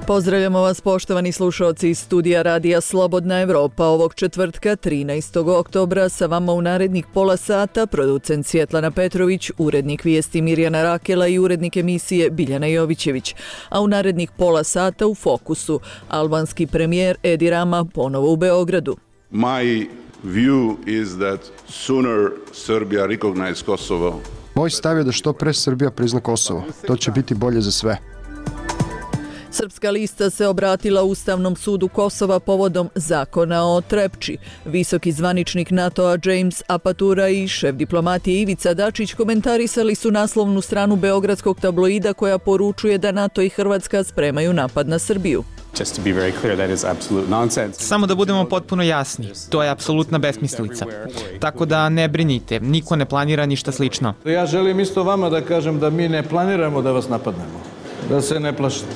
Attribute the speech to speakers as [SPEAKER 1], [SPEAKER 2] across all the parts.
[SPEAKER 1] Pozdravljamo vas poštovani slušalci iz studija Radija Slobodna Evropa. Ovog četvrtka 13. oktobra sa vama u narednih pola sata producent Svjetlana Petrović, urednik vijesti Mirjana Rakela i urednik emisije Biljana Jovićević. A u narednih pola sata u fokusu albanski premijer Edi Rama ponovo u Beogradu.
[SPEAKER 2] My view is that sooner Serbia recognize Kosovo.
[SPEAKER 3] Moj stav je da što pre Srbija prizna Kosovo. To će biti bolje za sve.
[SPEAKER 1] Srpska lista se obratila Ustavnom sudu Kosova povodom zakona o Trepči. Visoki zvaničnik NATO-a James Apatura i šef diplomatije Ivica Dačić komentarisali su naslovnu stranu beogradskog tabloida koja poručuje da NATO i Hrvatska spremaju napad na Srbiju.
[SPEAKER 4] Samo da budemo potpuno jasni, to je apsolutna besmislica. Tako da ne brinite, niko ne planira ništa slično.
[SPEAKER 5] Ja želim isto vama da kažem da mi ne planiramo da vas napadnemo, da se ne plašite.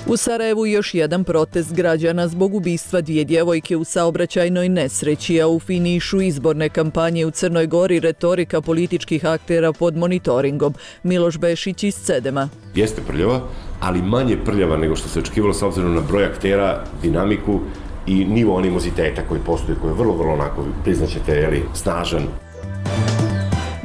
[SPEAKER 1] U Sarajevu još jedan protest građana zbog ubistva dvije djevojke u saobraćajnoj nesreći, a u finišu izborne kampanje u Crnoj Gori retorika političkih aktera pod monitoringom. Miloš Bešić iz Cedema.
[SPEAKER 6] Jeste prljava, ali manje prljava nego što se očekivalo s obzirom na broj aktera, dinamiku i nivo animoziteta koji postoji, koji je vrlo onako, priznaćete, snažan.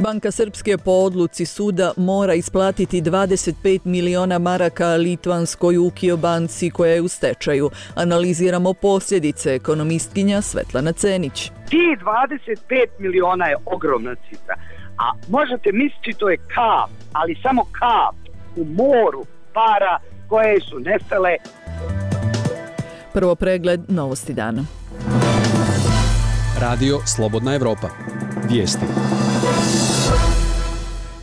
[SPEAKER 1] Banka Srpske po odluci suda mora isplatiti 25 miliona maraka litvanskoj Ukio banci koja je u stečaju. Analiziramo posljedice, ekonomistkinja Svetlana Cenić.
[SPEAKER 7] Ti 25 miliona je ogromna cifra, a možete misliti to je kap, ali samo kap u moru para koje su nestale.
[SPEAKER 1] Prvo pregled novosti dana.
[SPEAKER 8] Radio Slobodna Evropa. Vijesti.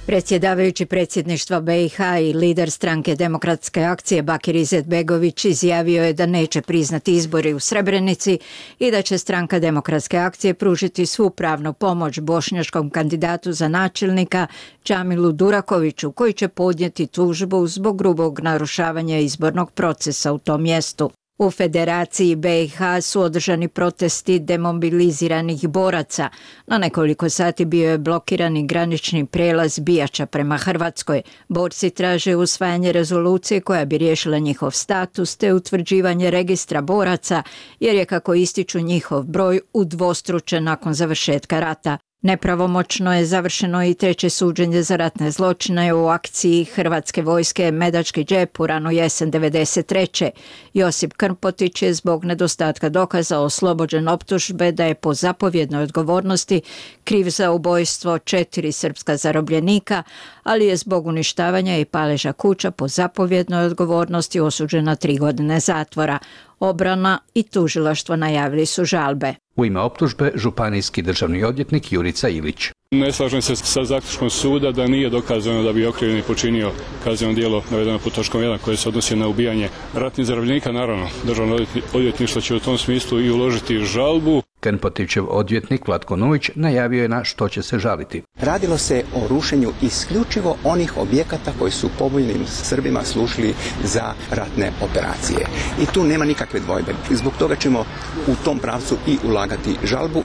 [SPEAKER 9] Predsjedavajući predsjedništva BiH i lider stranke Demokratske akcije Bakir Izetbegović izjavio je da neće priznati izbori u Srebrenici i da će stranka Demokratske akcije pružiti svu pravnu pomoć bošnjačkom kandidatu za načelnika Džamilu Durakoviću, koji će podnijeti tužbu zbog grubog narušavanja izbornog procesa u tom mjestu. U Federaciji BiH su održani protesti demobiliziranih boraca. Na nekoliko sati bio je blokirani granični prijelaz Bijača prema Hrvatskoj. Borci traže usvajanje rezolucije koja bi riješila njihov status te utvrđivanje registra boraca, jer je, kako ističu, njihov broj udvostručen nakon završetka rata. Nepravomoćno je završeno i treće suđenje za ratne zločine u akciji Hrvatske vojske Medački džep u ranu jesen 1993. Josip Krmpotić je zbog nedostatka dokaza oslobođen optužbe da je po zapovjednoj odgovornosti kriv za ubojstvo 4 srpska zarobljenika, ali je zbog uništavanja i paleža kuća po zapovjednoj odgovornosti osuđen na 3 godine zatvora. Obrana i tužilaštvo najavili su žalbe.
[SPEAKER 8] U ime optužbe županijski državni odvjetnik Jurica Ilić.
[SPEAKER 10] Ne slažem se sa zaključkom suda da nije dokazano da bi okrivljeni počinio kazneno djelo navedeno pod točkom 1 koje se odnosi na ubijanje ratnih zarobljenika. Naravno, državno odvjetništvo će u tom smislu i uložiti žalbu.
[SPEAKER 8] Krmpotićev odvjetnik Vlatko Nujić najavio je na što će se žaliti.
[SPEAKER 11] Radilo se o rušenju isključivo onih objekata koji su pobunjenim Srbima služili za ratne operacije. I tu nema nikakve dvojbe. Zbog toga ćemo u tom pravcu i ulagati žalbu.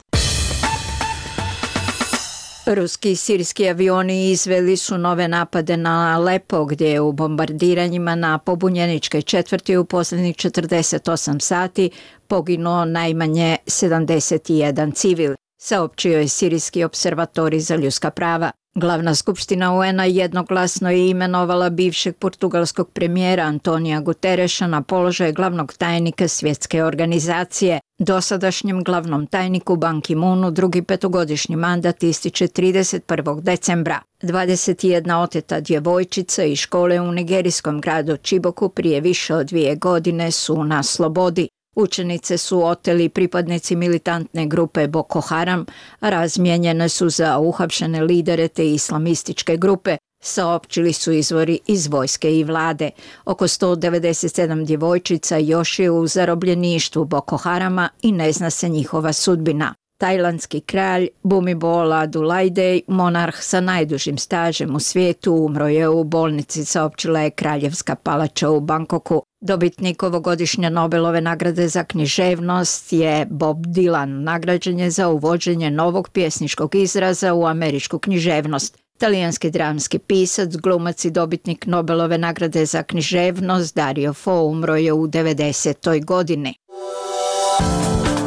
[SPEAKER 9] Ruski i sirijski avioni izveli su nove napade na Alepo, gdje je u bombardiranjima na pobunjeničke četvrti u posljednjih 48 sati poginuo najmanje 71 civil, saopćio je Sirijski observatorij za ljudska prava. Glavna skupština UN-a jednoglasno je imenovala bivšeg portugalskog premijera Antonija Gutereša na položaj glavnog tajnika svjetske organizacije. Dosadašnjem glavnom tajniku Ban Ki-moonu drugi petogodišnji mandat ističe 31. decembra. 21 oteta djevojčica iz škole u nigerijskom gradu Čiboku prije više od 2 godine su na slobodi. Učenice su oteli pripadnici militantne grupe Boko Haram, a razmijenjene su za uhapšene lidere te islamističke grupe, saopćili su izvori iz vojske i vlade. Oko 197 djevojčica još je u zarobljeništvu Boko Harama i ne zna se njihova sudbina. Tajlandski kralj Bhumibol Adulyadej, monarh sa najdužim stažem u svijetu, umro je u bolnici, saopćila je Kraljevska palača u Bangkoku. Dobitnik ovogodišnje Nobelove nagrade za književnost je Bob Dylan. Nagrađen je za uvođenje novog pjesničkog izraza u američku književnost. Talijanski dramski pisac, glumac i dobitnik Nobelove nagrade za književnost Dario Fo umro je u 90. godini.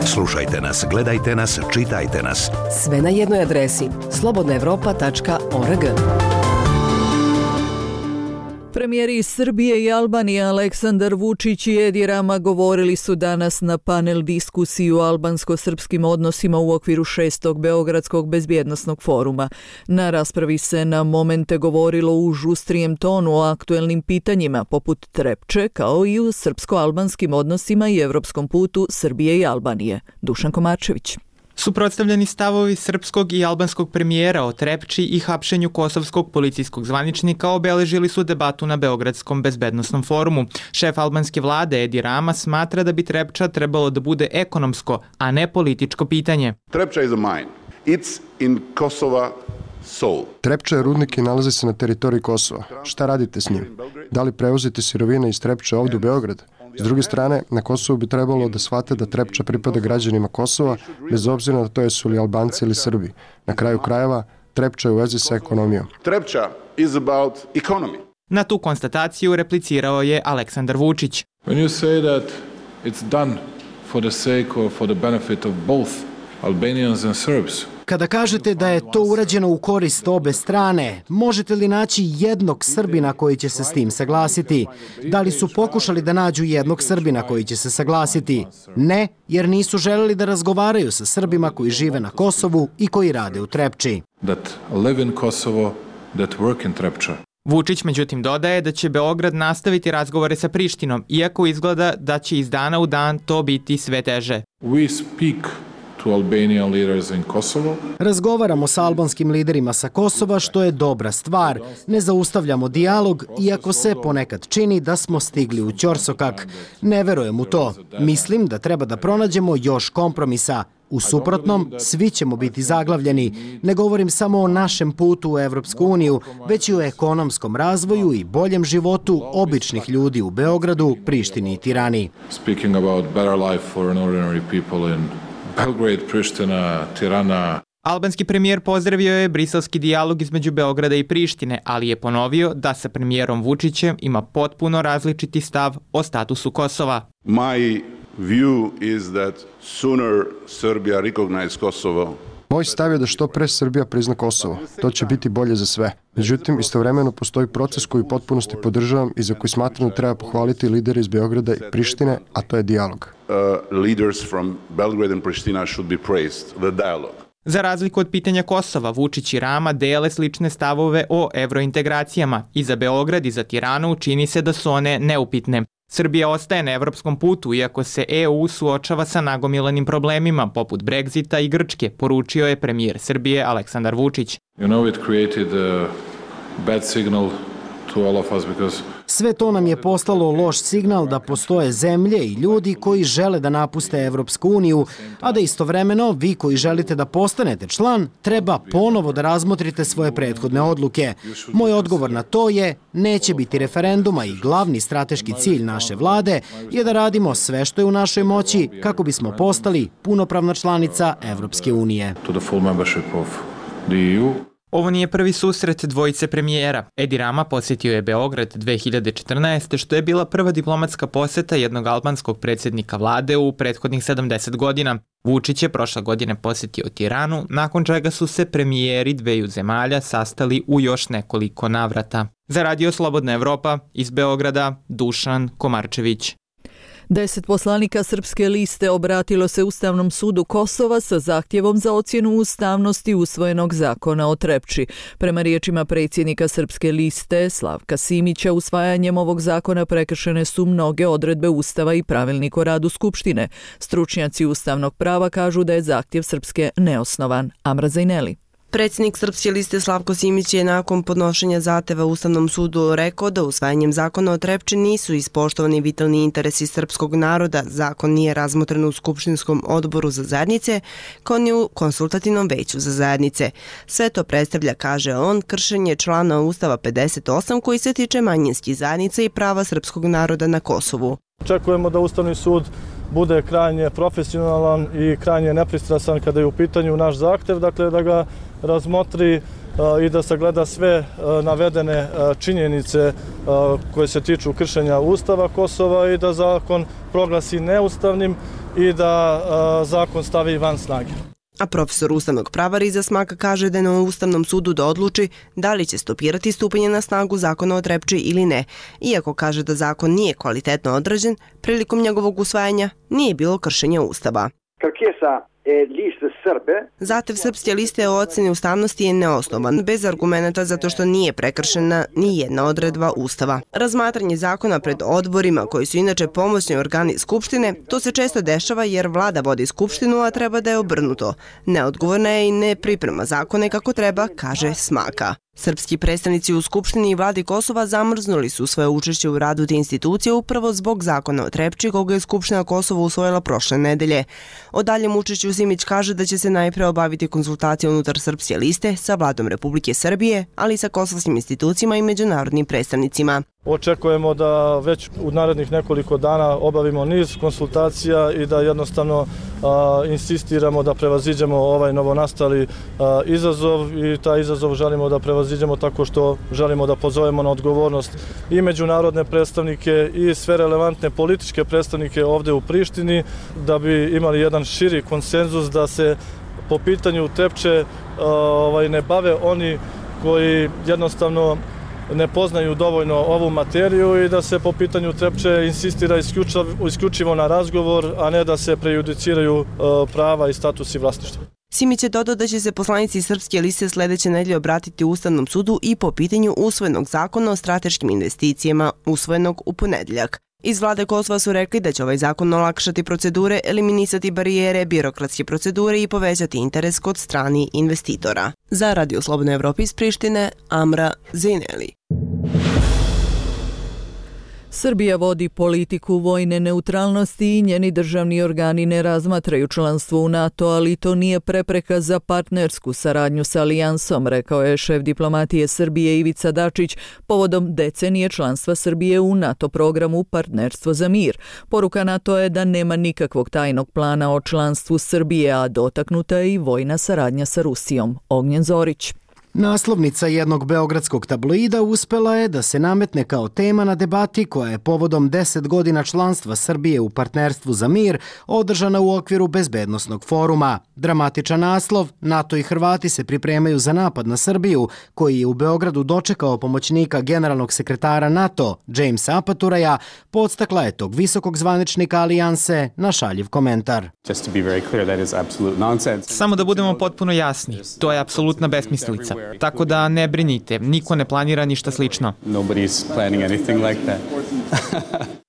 [SPEAKER 12] Slušajte nas, gledajte nas, čitajte nas.
[SPEAKER 13] Sve na jednoj adresi slobodnaevropa.org.
[SPEAKER 1] Premijeri iz Srbije i Albanije Aleksandar Vučić i Edi Rama govorili su danas na panel diskusiji o albansko-srpskim odnosima u okviru 6. Beogradskog bezbjednosnog foruma. Na raspravi se na momente govorilo u žustrijem tonu o aktuelnim pitanjima poput Trepče, kao i u srpsko-albanskim odnosima i evropskom putu Srbije i Albanije. Dušan Komarčević.
[SPEAKER 4] Suprotstavljeni stavovi srpskog i albanskog premijera o Trepči i hapšenju kosovskog policijskog zvaničnika obeležili su debatu na Beogradskom bezbednosnom forumu. Šef albanske vlade Edi Rama smatra da bi Trepča trebalo da bude ekonomsko, a ne političko pitanje.
[SPEAKER 2] Trepča is a mine. It's in Kosova soul.
[SPEAKER 3] Trepča je rudnik i nalazi se na teritoriji Kosova. Šta radite s njim? Da li prevozite sirovine iz Trepče ovdje u Beograd? S druge strane, na Kosovu bi trebalo da shvate da Trepča pripada građanima Kosova, bez obzira na to jesu li Albanci ili Srbi. Na kraju krajeva, Trepča je u vezi sa ekonomijom.
[SPEAKER 2] Trepča is about economy.
[SPEAKER 4] Na tu konstataciju replicirao je Aleksandar Vučić.
[SPEAKER 5] When you say that it's done for the sake or for the benefit of both Albanians and Serbs,
[SPEAKER 14] kada kažete da je to urađeno u korist obe strane, možete li naći jednog Srbina koji će se s tim saglasiti? Da li su pokušali da nađu jednog Srbina koji će se saglasiti? Ne, jer nisu želeli da razgovaraju sa Srbima koji žive na Kosovu i koji rade u Trepči.
[SPEAKER 5] That live in Kosovo, that work in Trepča.
[SPEAKER 4] Vučić međutim dodaje da će Beograd nastaviti razgovore sa Prištinom, iako izgleda da će iz dana u dan to biti sve teže.
[SPEAKER 5] We speak to Albanian leaders in Kosovo.
[SPEAKER 14] Razgovaramo sa albanskim liderima sa Kosova, što je dobra stvar. Ne zaustavljamo dijalog, iako se ponekad čini da smo stigli u ćorsokak. Ne verujem u to. Mislim da treba da pronađemo još kompromisa. U suprotnom, svi ćemo biti zaglavljeni. Ne govorim samo o našem putu u Evropsku uniju, već i o ekonomskom razvoju i boljem životu običnih ljudi u Beogradu, Prištini i Tirani.
[SPEAKER 5] Speaking about better life for ordinary people in Belgrade, Priština, Tirana.
[SPEAKER 4] Albanski premijer pozdravio je briselski dijalog između Beograda i Prištine, ali je ponovio da sa premijerom Vučićem ima potpuno različiti stav o statusu Kosova.
[SPEAKER 2] My view is that sooner Serbia recognize Kosovo.
[SPEAKER 3] Moj stav je da što pre Srbija prizna Kosovo. To će biti bolje za sve. Međutim, istovremeno postoji proces koji u potpunosti podržavam i za koji smatram da treba pohvaliti lidere iz Beograda i Prištine, a to je dijalog.
[SPEAKER 2] Leaders from Belgrade and Pristina should be praised, the dialogue.
[SPEAKER 4] Za razliku od pitanja Kosova, Vučić i Rama dele slične stavove o evrointegracijama. I za Beograd i za Tiranu čini se da su one neupitne. Srbija ostaje na evropskom putu, iako se EU suočava sa nagomilanim problemima, poput Brexita i Grčke, poručio je premijer Srbije Aleksandar Vučić.
[SPEAKER 5] You know, it created a bad signal to all of us because
[SPEAKER 14] sve to nam je poslalo loš signal da postoje zemlje i ljudi koji žele da napuste Evropsku uniju, a da istovremeno vi koji želite da postanete član treba ponovo da razmotrite svoje prethodne odluke. Moj odgovor na to je neće biti referenduma i glavni strateški cilj naše vlade je da radimo sve što je u našoj moći kako bismo postali punopravna članica Evropske unije.
[SPEAKER 5] To the full membership of the EU.
[SPEAKER 4] Ovo nije prvi susret dvojice premijera. Edi Rama posjetio je Beograd 2014. što je bila prva diplomatska posjeta jednog albanskog predsjednika vlade u prethodnih 70 godina. Vučić je prošle godine posjetio Tiranu, nakon čega su se premijeri dveju zemalja sastali u još nekoliko navrata. Za Radio Slobodna Evropa iz Beograda, Dušan Komarčević.
[SPEAKER 1] 10 poslanika Srpske liste obratilo se Ustavnom sudu Kosova sa zahtjevom za ocjenu ustavnosti usvojenog zakona o Trepči. Prema riječima predsjednika Srpske liste Slavka Simića, usvajanjem ovog zakona prekršene su mnoge odredbe Ustava i pravilnik o radu Skupštine. Stručnjaci ustavnog prava kažu da je zahtjev Srpske neosnovan. Amra Zajneli.
[SPEAKER 15] Predsjednik Srpske liste Slavko Simić je nakon podnošenja zahteva Ustavnom sudu rekao da usvajanjem zakona o Trepči nisu ispoštovani vitalni interesi srpskog naroda, zakon nije razmotren u Skupštinskom odboru za zajednice, kao ni u konsultativnom veću za zajednice. Sve to predstavlja, kaže on, kršenje člana Ustava 58 koji se tiče manjinskih zajednica i prava srpskog naroda na Kosovu.
[SPEAKER 16] Očekujemo da Ustavni sud bude krajnje profesionalan i krajnje nepristrasan kada je u pitanju naš zahtev, dakle da ga razmotri i da sagleda sve navedene činjenice koje se tiču kršenja Ustava Kosova i da zakon proglasi neustavnim i da zakon stavi van snage.
[SPEAKER 15] A profesor ustavnog prava Riza Smaka kaže da je na Ustavnom sudu da odluči da li će stopirati stupanje na snagu zakona o Trepči ili ne. Iako kaže da zakon nije kvalitetno odrađen, prilikom njegovog usvajanja nije bilo kršenja Ustava. Zahtev Srpske liste o ocjeni ustavnosti je neosnovan, bez argumenta zato što nije prekršena ni jedna odredba Ustava. Razmatranje zakona pred odborima, koji su inače pomoćni organi Skupštine, to se često dešava jer vlada vodi Skupštinu, a treba da je obrnuto. Neodgovorna je i ne priprema zakone kako treba, kaže Smaka. Srpski predstavnici u Skupštini i vladi Kosova zamrznuli su svoje učešće u radu te institucije upravo zbog zakona o Trepči koga je Skupština Kosova usvojila prošle nedelje. O daljem učešću Simić kaže da će se najpre obaviti konsultacije unutar Srpske liste sa vladom Republike Srbije, ali i sa kosovskim institucijama i međunarodnim predstavnicima.
[SPEAKER 16] Očekujemo da već u narednih nekoliko dana obavimo niz konsultacija i da jednostavno insistiramo da prevaziđemo ovaj novonastali izazov i taj izazov želimo da prevaziđemo tako što želimo da pozovemo na odgovornost i međunarodne predstavnike i sve relevantne političke predstavnike ovde u Prištini da bi imali jedan širi konsenzus da se po pitanju Trepče ne bave oni koji jednostavno ne poznaju dovoljno ovu materiju i da se po pitanju Trepče insistira isključivo na razgovor, a ne da se prejudiciraju prava i statusi vlasništva.
[SPEAKER 15] Simić je dodao da će se poslanici Srpske liste sledeće nedelje obratiti Ustavnom sudu i po pitanju usvojenog zakona o strateškim investicijama usvojenog u ponedeljak. Iz vlade Kosova su rekli da će ovaj zakon olakšati procedure, eliminisati barijere, birokratske procedure i povećati interes kod strani investitora. Za Radio Slobodna Evropa iz Prištine, Amra Zejneli.
[SPEAKER 1] Srbija vodi politiku vojne neutralnosti i njeni državni organi ne razmatraju članstvo u NATO, ali to nije prepreka za partnersku saradnju sa alijansom, rekao je šef diplomatije Srbije Ivica Dačić povodom decenije članstva Srbije u NATO programu Partnerstvo za mir. Poruka NATO je da nema nikakvog tajnog plana o članstvu Srbije, a dotaknuta je i vojna saradnja sa Rusijom. Ognjen Zorić.
[SPEAKER 14] Naslovnica jednog beogradskog tabloida uspela je da se nametne kao tema na debati koja je povodom 10 godina članstva Srbije u Partnerstvu za mir održana u okviru Bezbednosnog foruma. Dramatičan naslov, NATO i Hrvati se pripremaju za napad na Srbiju, koji je u Beogradu dočekao pomoćnika generalnog sekretara NATO, Jamesa Apaturaja, podstakla je tog visokog zvaničnika alijanse na šaljiv komentar.
[SPEAKER 4] Samo da budemo potpuno jasni, to je apsolutna besmislica. Tako da ne brinite, niko ne planira ništa slično.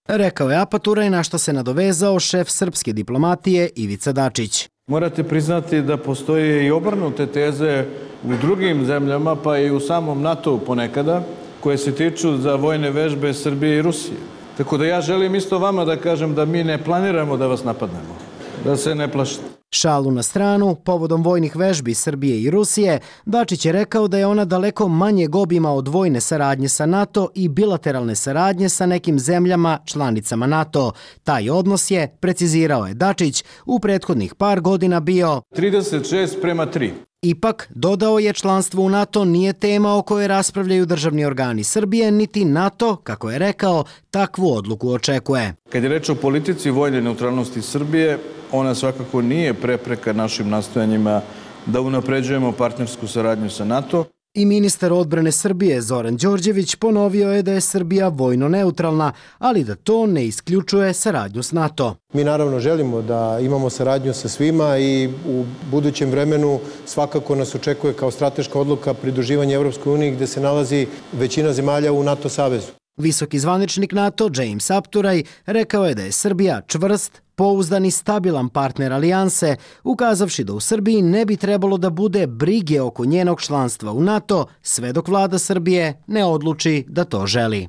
[SPEAKER 14] Rekao je Apaturaj, na što se nadovezao šef srpske diplomatije Ivica Dačić.
[SPEAKER 5] Morate priznati da postoje i obrnute teze u drugim zemljama, pa i u samom NATO ponekada, koje se tiču za vojne vežbe Srbije i Rusije. Tako da ja želim isto vama da kažem da mi ne planiramo da vas napadnemo, da se ne plašite.
[SPEAKER 14] Šalu na stranu, povodom vojnih vežbi Srbije i Rusije, Dačić je rekao da je ona daleko manjeg obima od vojne saradnje sa NATO i bilateralne saradnje sa nekim zemljama članicama NATO. Taj odnos je, precizirao je Dačić, u prethodnih par godina bio
[SPEAKER 5] 36:3.
[SPEAKER 14] Ipak, dodao je, članstvo u NATO nije tema o kojoj raspravljaju državni organi Srbije, niti NATO, kako je rekao, takvu odluku očekuje.
[SPEAKER 5] Kad je reč o politici vojne neutralnosti Srbije, ona svakako nije prepreka našim nastojanjima da unapređujemo partnersku saradnju sa NATO.
[SPEAKER 14] I ministar odbrane Srbije Zoran Đorđević ponovio je da je Srbija vojno neutralna, ali da to ne isključuje saradnju s NATO.
[SPEAKER 17] Mi naravno želimo da imamo saradnju sa svima i u budućem vremenu svakako nas očekuje kao strateška odluka pridruživanje Evropskoj uniji gde se nalazi većina zemalja u NATO savezu.
[SPEAKER 14] Visoki zvaničnik NATO James Apturaj rekao je da je Srbija čvrst, pouzdan i stabilan partner alijanse, ukazavši da u Srbiji ne bi trebalo da bude brige oko njenog članstva u NATO sve dok vlada Srbije ne odluči da to želi.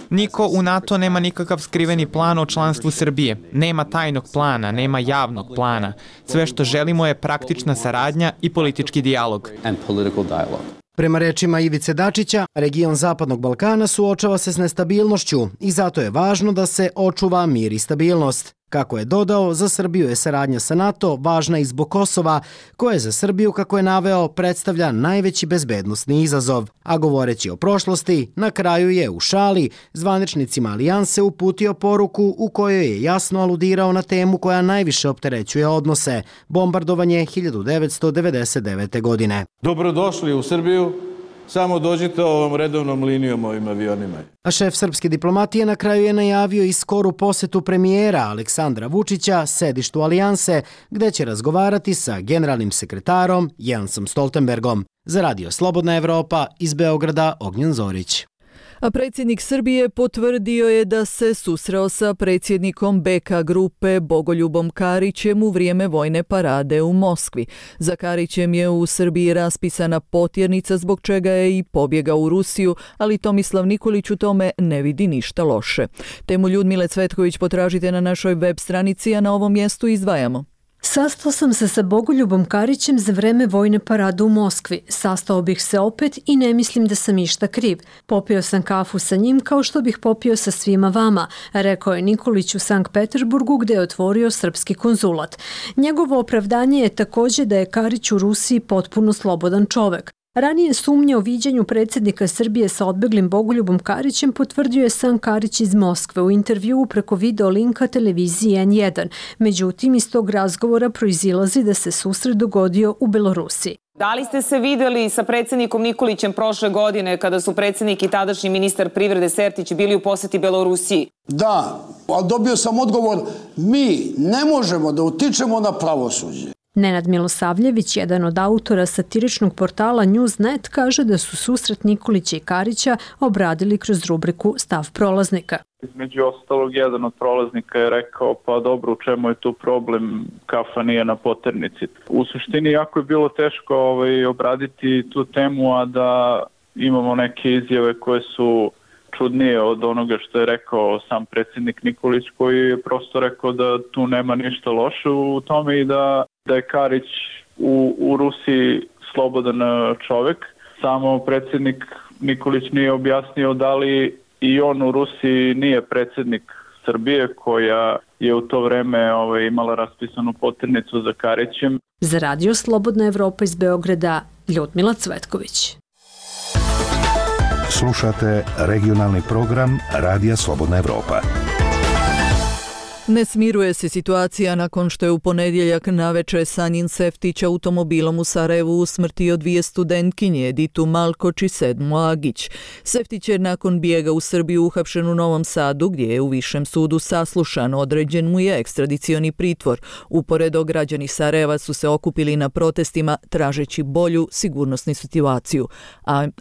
[SPEAKER 4] Niko u NATO nema nikakav skriveni plan o članstvu Srbije. Nema tajnog plana, nema javnog plana. Sve što želimo je praktična saradnja i politički dijalog.
[SPEAKER 14] Prema rečima Ivice Dačića, region Zapadnog Balkana suočava se s nestabilnošću i zato je važno da se očuva mir i stabilnost. Kako je dodao, za Srbiju je saradnja sa NATO važna i zbog Kosova, koje za Srbiju, kako je naveo, predstavlja najveći bezbednosni izazov. A govoreći o prošlosti, na kraju je u šali zvaničnicima alijanse uputio poruku u kojoj je jasno aludirao na temu koja najviše opterećuje odnose – bombardovanje 1999. godine.
[SPEAKER 5] Dobrodošli u Srbiju. Samo dođite ovom redovnom linijom ovim avionima.
[SPEAKER 14] A šef srpske diplomatije na kraju je najavio i skoru posetu premijera Aleksandra Vučića sedištu alijanse, gde će razgovarati sa generalnim sekretarom Jensom Stoltenbergom. Za Radio Slobodna Evropa iz Beograda Ognjen Zorić.
[SPEAKER 1] A predsjednik Srbije potvrdio je da se susreo sa predsjednikom BK grupe Bogoljubom Karićem u vrijeme vojne parade u Moskvi. Za Karićem je u Srbiji raspisana potjernica zbog čega je i pobjegao u Rusiju, ali Tomislav Nikolić u tome ne vidi ništa loše. Temu Ljudmile Cvetković potražite na našoj web stranici, a na ovom mjestu izdvajamo.
[SPEAKER 18] Sastao sam se sa Bogoljubom Karićem za vreme vojne parade u Moskvi. Sastao bih se opet i ne mislim da sam išta kriv. Popio sam kafu sa njim kao što bih popio sa svima vama, rekao je Nikolić u Sankt Peterburgu gdje je otvorio srpski konzulat. Njegovo opravdanje je također da je Karić u Rusiji potpuno slobodan čovek. Ranije sumnje o viđenju predsjednika Srbije sa odbeglim Bogoljubom Karićem potvrdio je sam Karić iz Moskve u intervjuu preko video linka televiziji N1. Međutim, iz tog razgovora proizilazi da se susret dogodio u Belorusiji.
[SPEAKER 19] Da li ste se vidjeli sa predsjednikom Nikolićem prošle godine kada su predsjednik i tadašnji ministar privrede Sertić bili u posjeti Belorusiji?
[SPEAKER 20] Da, ali dobio sam odgovor, mi ne možemo da utičemo na pravosuđe.
[SPEAKER 18] Nenad Milosavljević, jedan od autora satiričnog portala Newsnet, kaže da su susret Nikolića i Karića obradili kroz rubriku Stav prolaznika.
[SPEAKER 21] Između ostalog, jedan od prolaznika je rekao, pa dobro, u čemu je tu problem, kafa nije na poternici. U suštini jako je bilo teško obraditi tu temu, a da imamo neke izjave koje su čudnije od onoga što je rekao sam predsjednik Nikolić, koji je prosto rekao da tu nema ništa loše u tome i da je Karić u Rusiji slobodan čovjek. Samo predsjednik Nikolić nije objasnio da li i on u Rusiji nije predsjednik Srbije, koja je u to vreme imala raspisanu poternicu za Karićem.
[SPEAKER 18] Za Radio Slobodna Evropa iz Beograda, Ljudmila Cvetković.
[SPEAKER 12] Slušate regionalni program Radija Slobodna Evropa.
[SPEAKER 1] Ne smiruje se situacija nakon što je u ponedjeljak navečer Sanjin Seftić automobilom u Sarajevu usmrtio dvije studentkinje, Editu Malkoč i Sedmu Agić. Seftić je nakon bijega u Srbiju uhapšen u Novom Sadu, gdje je u Višem sudu saslušan, određen mu je ekstradicioni pritvor. Uporedo, građani Sarajeva su se okupili na protestima tražeći bolju sigurnosnu situaciju.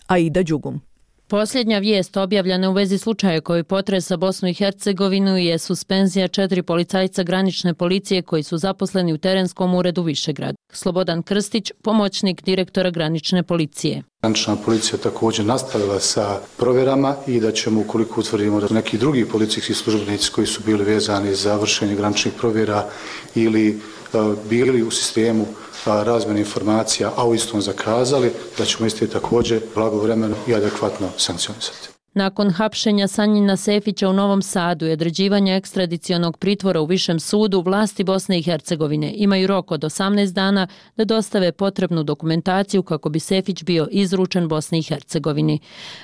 [SPEAKER 1] Aida Đugum.
[SPEAKER 22] Posljednja vijest objavljena u vezi slučaja koji potresa Bosnu i Hercegovinu je suspenzija 4 policajca granične policije koji su zaposleni u terenskom uredu Višegrad. Slobodan Krstić, pomoćnik direktora granične policije.
[SPEAKER 23] Granična policija također nastavila sa provjerama i da ćemo, ukoliko utvrdimo da neki drugi policijski službenici koji su bili vezani za vršenje graničnih provjera ili bili u sistemu razmjene informacija, a u istom zakazali, da ćemo isti također blagovremeno i adekvatno sankcionisati.
[SPEAKER 22] Nakon hapšenja Sanjina Sefića u Novom Sadu i određivanja ekstradicionog pritvora u Višem sudu, vlasti Bosne i Hercegovine imaju rok od 18 dana da dostave potrebnu dokumentaciju kako bi Sefić bio izručen Bosni i Hercegovini.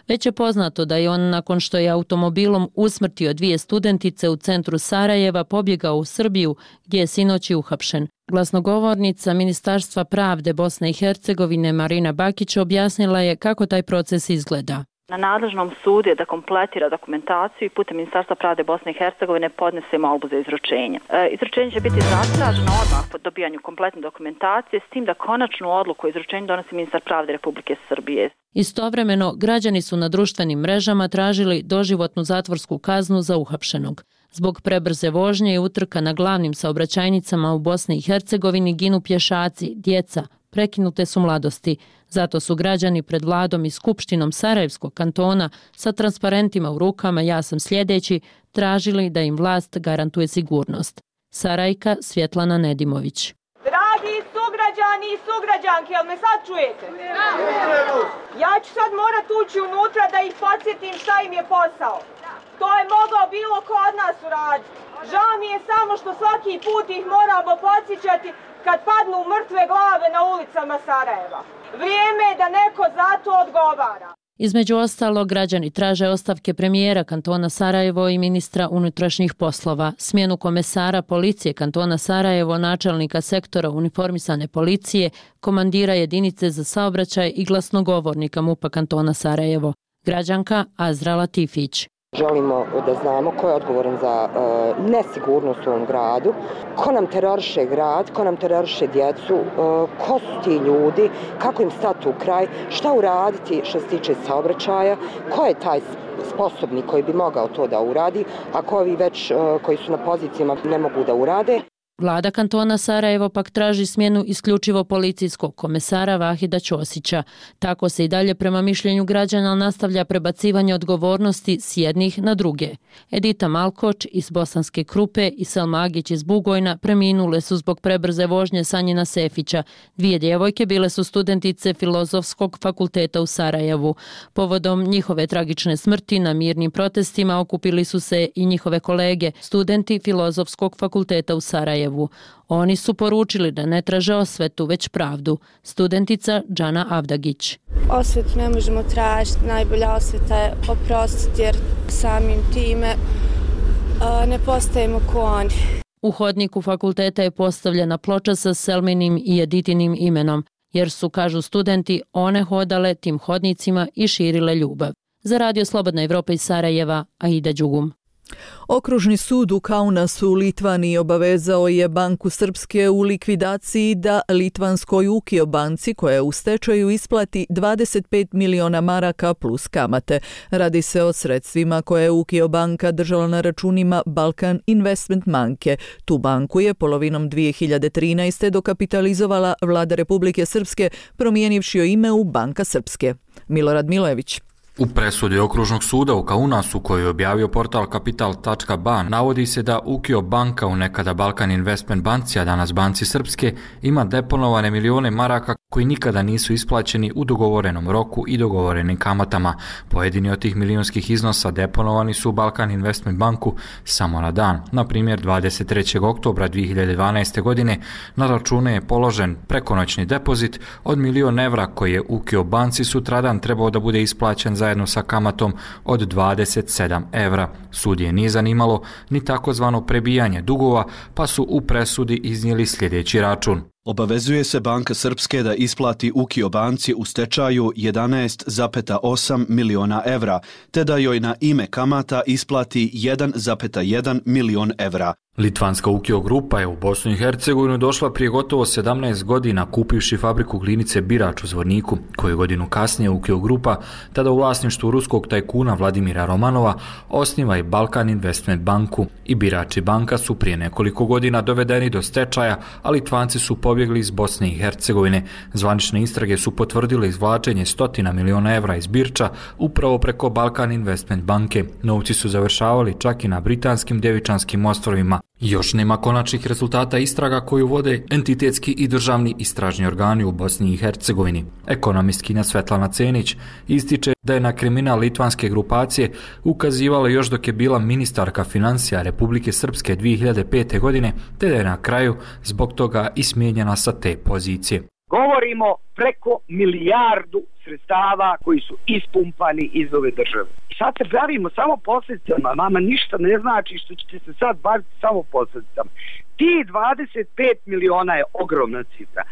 [SPEAKER 22] Već je poznato da je on, nakon što je automobilom usmrtio dvije studentice u centru Sarajeva, pobjegao u Srbiju, gdje je sinoć uhapšen. Glasnogovornica Ministarstva pravde Bosne i Hercegovine Marina Bakić objasnila je kako taj proces izgleda.
[SPEAKER 6] Na nadležnom sudu je da kompletira dokumentaciju i putem Ministarstva pravde Bosne i Hercegovine podnese molbu za izručenje. Izručenje će biti zatraženo odmah po dobijanju kompletne dokumentacije, s tim da konačnu odluku o izručenju donosi ministar pravde Republike Srbije.
[SPEAKER 22] Istovremeno, građani su na društvenim mrežama tražili doživotnu zatvorsku kaznu za uhapšenog. Zbog prebrze vožnje i utrka na glavnim saobraćajnicama u Bosni i Hercegovini ginu pješaci, djeca, prekinute su mladosti. Zato su građani pred vladom i skupštinom Sarajevskog kantona sa transparentima u rukama "Ja sam sljedeći" tražili da im vlast garantuje sigurnost. Sarajka Svjetlana Nedimović.
[SPEAKER 7] Dragi sugrađani i sugrađanke, jel me sad čujete? Ja ću sad morat ući unutra da ih podsjetim šta im je posao. To je mogao bilo ko od nas uraditi. Žao mi je samo što svaki put ih moramo podsjećati kad padnu mrtve glave na ulicama Sarajeva. Vrijeme je da neko za to odgovara.
[SPEAKER 22] Između ostalog, građani traže ostavke premijera kantona Sarajevo i ministra unutrašnjih poslova, smjenu komesara policije kantona Sarajevo, načelnika sektora uniformisane policije, komandira jedinice za saobraćaj i glasnogovornika MUP-a kantona Sarajevo. Građanka Azra Latifić.
[SPEAKER 10] Želimo da znamo ko je odgovoran za nesigurnost u ovom gradu, ko nam teroriše grad, ko nam teroriše djecu, ko su ti ljudi, kako im stati u kraj, šta uraditi što se tiče saobraćaja, ko je taj sposobni koji bi mogao to da uradi, ako ovi već koji su na pozicijama ne mogu da urade.
[SPEAKER 22] Vlada kantona Sarajevo pak traži smjenu isključivo policijskog komesara Vahida Ćosića. Tako se i dalje prema mišljenju građana nastavlja prebacivanje odgovornosti s jednih na druge. Edita Malkoč iz Bosanske Krupe i Selma Agić iz Bugojna preminule su zbog prebrze vožnje Sanjina Sefića. Dvije djevojke bile su studentice Filozofskog fakulteta u Sarajevu. Povodom njihove tragične smrti na mirnim protestima okupili su se i njihove kolege, studenti Filozofskog fakulteta u Sarajevu. Oni su poručili da ne traže osvetu, već pravdu. Studentica Džana Avdagić.
[SPEAKER 24] Osvetu ne možemo tražiti, najbolja osveta je oprostiti jer samim time ne postajemo ko oni.
[SPEAKER 22] U hodniku fakulteta je postavljena ploča sa Selminim i Editinim imenom, jer su, kažu studenti, one hodale tim hodnicima i širile ljubav. Za Radio Slobodna Evropa iz Sarajeva, Aida Đugum.
[SPEAKER 1] Okružni sud u Kaunasu u Litvaniji obavezao je Banku Srpske u likvidaciji da litvanskoj Ukio banci koja je u stečaju isplati 25 miliona maraka plus kamate. Radi se o sredstvima koje je Ukio banka držala na računima Balkan Investment banke. Tu banku je polovinom 2013. dokapitalizovala vlada Republike Srpske promijenivši joj ime u Banka Srpske. Milorad Milojević.
[SPEAKER 25] U presudi Okružnog suda u Kaunasu, koju je objavio portal Kapital.ba, navodi se da Ukio banka, u nekada Balkan Investment banci, a danas Banci Srpske, ima deponovane milione maraka koji nikada nisu isplaćeni u dogovorenom roku i dogovorenim kamatama. Pojedini od tih milionskih iznosa deponovani su u Balkan Investment banku samo na dan. Na primjer, 23. oktobra 2012. godine na račune je položen prekonoćni depozit od €1.000.000 koji je Ukio banci sutradan trebao da bude isplaćen zajedno sa kamatom od €27. Sud je nije zanimalo ni takozvano prebijanje dugova, pa su u presudi iznijeli sljedeći račun.
[SPEAKER 26] Obavezuje se Banka Srpske da isplati Ukio banci u stečaju 11,8 miliona evra, te da joj na ime kamata isplati 1,1 milion evra.
[SPEAKER 25] Litvanska Ukio grupa je u Bosnu i Hercegovinu došla prije gotovo 17 godina kupivši fabriku glinice Birač u Zvorniku, koju godinu kasnije Ukio grupa, tada u vlasništvu ruskog tajkuna Vladimira Romanova, osniva i Balkan Investment banku. I Birač i banka su prije nekoliko godina dovedeni do stečaja, a Litvanci su pobjegli iz Bosne i Hercegovine. Zvanične istrage su potvrdile izvlačenje 100 miliona evra iz Birča upravo preko Balkan Investment banke. Novci su završavali čak i na britanskim Djevičanskim ostrvima. Još nema konačnih rezultata istraga koju vode entitetski i državni istražni organi u Bosni i Hercegovini. Ekonomistkinja Svetlana Cenić ističe da je na kriminal litvanske grupacije ukazivala još dok je bila ministarka financija Republike Srpske 2005. godine, te da je na kraju zbog toga i smijenjena sa te pozicije.
[SPEAKER 27] Govorimo preko milijardu sredstava koji su ispumpani iz ove države. I sad se bavimo samo posljedicama, vama ništa ne znači što ćete se sad baviti samo posljedicama. Ti 25 miliona je ogromna cifra,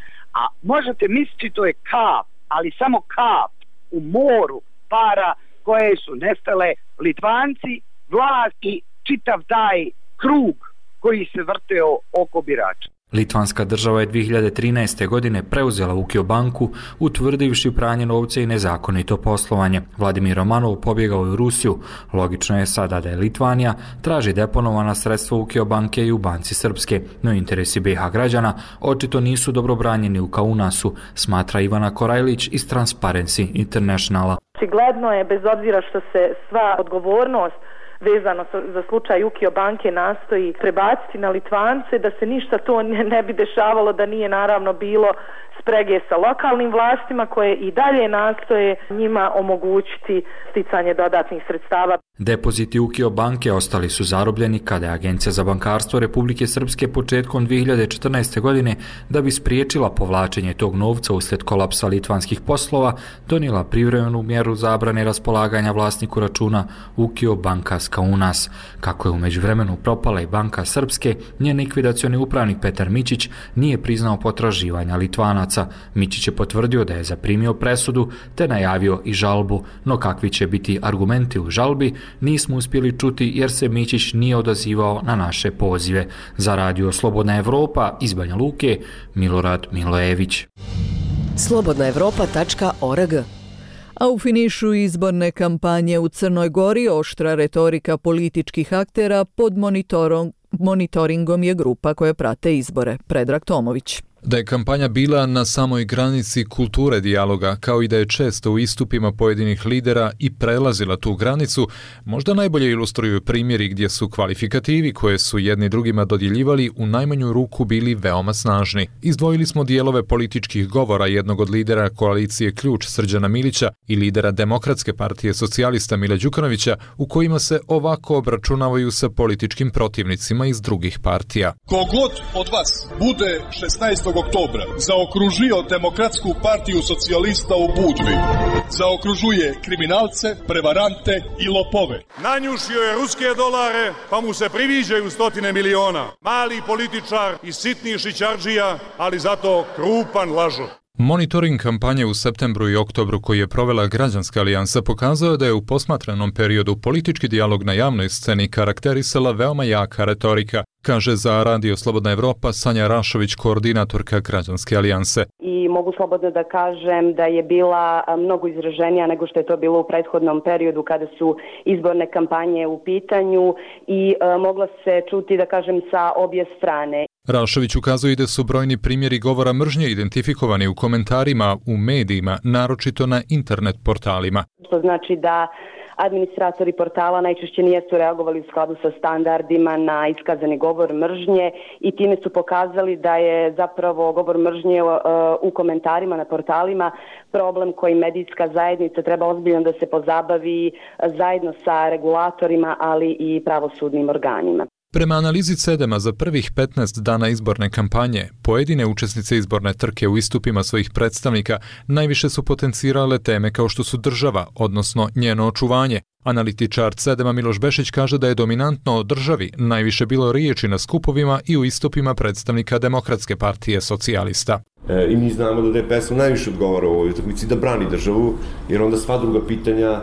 [SPEAKER 27] a možete misliti to je kap, ali samo kap u moru para koje su nestale Litvanci, vlast i čitav taj krug koji se vrteo oko birača.
[SPEAKER 25] Litvanska država je 2013. godine preuzela Ukio banku, utvrdivši pranje novca i nezakonito poslovanje. Vladimir Romanov pobjegao je u Rusiju. Logično je sada da je Litvanija traži deponovana sredstva Ukio banke i u banci Srpske, no interesi BiH građana očito nisu dobro branjeni u Kaunasu, smatra Ivana Korajlić iz Transparency Internationala.
[SPEAKER 2] Očigledno je, bez obzira što se sva odgovornost vezano za slučaj Ukio banke nastoji prebaciti na Litvance, da se ništa to ne bi dešavalo da nije naravno bilo sprege sa lokalnim vlastima koje i dalje nastoje njima omogućiti sticanje dodatnih sredstava.
[SPEAKER 25] Depoziti Ukio banke ostali su zarobljeni kada je Agencija za bankarstvo Republike Srpske početkom 2014. godine, da bi spriječila povlačenje tog novca uslijed kolapsa litvanskih poslova, donijela privremenu mjeru zabrane raspolaganja vlasniku računa Ukio banka Kaunas. Kako je u međuvremenu propala i banka Srpske, njen likvidacioni upravnik Petar Mićić nije priznao potraživanja Litvanaca. Mićić je potvrdio da je zaprimio presudu te najavio i žalbu, no kakvi će biti argumenti u žalbi nismo uspjeli čuti jer se Mićić nije odazivao na naše pozive. Za Radio Slobodna Evropa iz Banja Luke, Milorad Milojević.
[SPEAKER 3] slobodnaevropa.org.
[SPEAKER 1] A u finišu izborne kampanje u Crnoj Gori oštra retorika političkih aktera pod monitoringom je grupa koje prate izbore. Predrag Tomović.
[SPEAKER 8] Da je kampanja bila na samoj granici kulture dijaloga, kao i da je često u istupima pojedinih lidera i prelazila tu granicu, možda najbolje ilustruju primjeri gdje su kvalifikativi koje su jedni drugima dodjeljivali u najmanju ruku bili veoma snažni. Izdvojili smo dijelove političkih govora jednog od lidera koalicije Ključ Srđana Milića i lidera Demokratske partije socijalista Mila Đukanovića, u kojima se ovako obračunavaju sa političkim protivnicima iz drugih partija.
[SPEAKER 9] Kogod od vas bude 16. oktobra zaokružio Demokratsku partiju socijalista u Budvi, zaokružuje kriminalce, prevarante i lopove.
[SPEAKER 11] Nanjušio je ruske dolare, pa mu se priviđaju stotine miliona. Mali političar i sitni šićardžija, ali zato krupan lažov.
[SPEAKER 8] Monitoring kampanje u septembru i oktobru koji je provela Građanska alijansa pokazao da je u posmatranom periodu politički dijalog na javnoj sceni karakterisala veoma jaka retorika, kaže za Radio Slobodna Evropa Sanja Rašović, koordinatorka Građanske alijanse.
[SPEAKER 13] I mogu slobodno da kažem da je bila mnogo izraženija nego što je to bilo u prethodnom periodu kada su izborne kampanje u pitanju i mogla se čuti, da kažem, sa obje strane.
[SPEAKER 8] Rašović ukazuje da su brojni primjeri govora mržnje identifikovani u komentarima, u medijima, naročito na internet portalima.
[SPEAKER 13] To znači da administratori portala najčešće nisu reagovali u skladu sa standardima na iskazani govor mržnje i time su pokazali da je zapravo govor mržnje u komentarima na portalima problem koji medijska zajednica treba ozbiljno da se pozabavi zajedno sa regulatorima, ali i pravosudnim organima.
[SPEAKER 8] Prema analizi CEDEM-a za prvih 15 dana izborne kampanje, pojedine učesnice izborne trke u istupima svojih predstavnika najviše su potencirale teme kao što su država, odnosno njeno očuvanje. Analitičar CEDEM-a Miloš Bešić kaže da je dominantno o državi najviše bilo riječi na skupovima i u istupima predstavnika Demokratske partije socijalista.
[SPEAKER 16] I mi znamo da DPS-u najviše odgovara u ovoj utakmici da brani državu, jer onda sva druga pitanja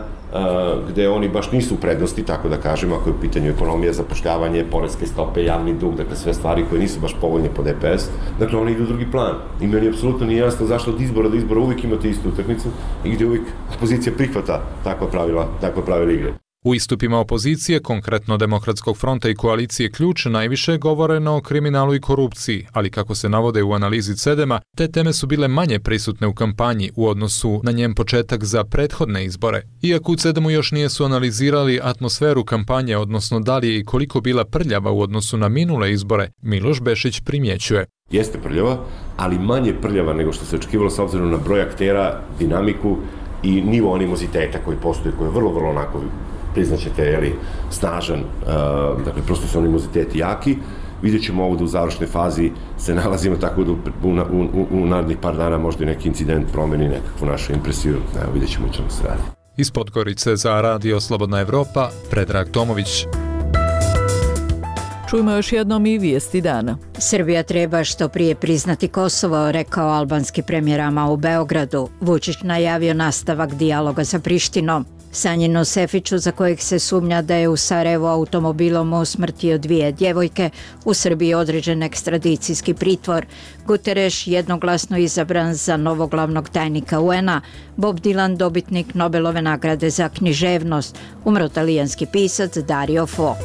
[SPEAKER 16] gde oni baš nisu u prednosti, tako da kažem, ako je u pitanju ekonomija, zapošljavanje, poreske stope, javni dug, dakle sve stvari koje nisu baš povoljne po DPS, dakle oni idu u drugi plan. I meni apsolutno nije jasno zašto od izbora do izbora uvijek imate istu utakmicu i gdje uvijek opozicija prihvata takva pravila igre.
[SPEAKER 8] U istupima opozicije, konkretno Demokratskog fronta i koalicije Ključ, najviše govoreno o kriminalu i korupciji, ali kako se navode u analizi CEDEM-a, te teme su bile manje prisutne u kampanji u odnosu na njen početak za prethodne izbore. Iako u CEDEM-u još nisu analizirali atmosferu kampanje, odnosno da li je i koliko bila prljava u odnosu na minule izbore, Miloš Bešić primjećuje.
[SPEAKER 16] Jeste prljava, ali manje prljava nego što se očekivalo s obzirom na broj aktera, dinamiku i nivo animoziteta koji postoji, koji je vrlo onako priznaćete, snažan, dakle, prosto su animoziteti jaki. Vidjet ćemo ovo da u završnoj fazi se nalazimo, tako da u narednih par dana možda i neki incident promeni nekakvu našu impresiju. Evo, vidjet ćemo čemu se radi.
[SPEAKER 8] Iz Podgorice za Radio Slobodna Evropa, Predrag Tomović.
[SPEAKER 1] Čujmo još jednom i vijesti dana.
[SPEAKER 28] Srbija treba što prije priznati Kosovo, rekao albanski premijer Ama u Beogradu. Vučić najavio nastavak dijaloga sa Prištinom. Sanjinu Sefiću, za kojeg se sumnja da je u Sarajevu automobilom usmrtio 2 djevojke, u Srbiji određen ekstradicijski pritvor. Guterres jednoglasno izabran za novog glavnog tajnika UN-a. Bob Dylan dobitnik Nobelove nagrade za književnost. Umro talijanski pisac Dario Fo.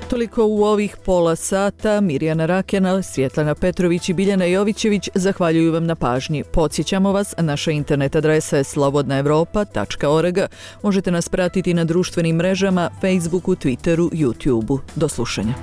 [SPEAKER 1] Toliko u ovih pola sata. Mirjana Rakjana, Svjetlana Petrović i Biljana Jovićević zahvaljuju vam na pažnji. Podsjećamo vas, naša internet adresa je slobodnaevropa.org. Možete nas pratiti na društvenim mrežama, Facebooku, Twitteru, YouTubeu. Do slušanja.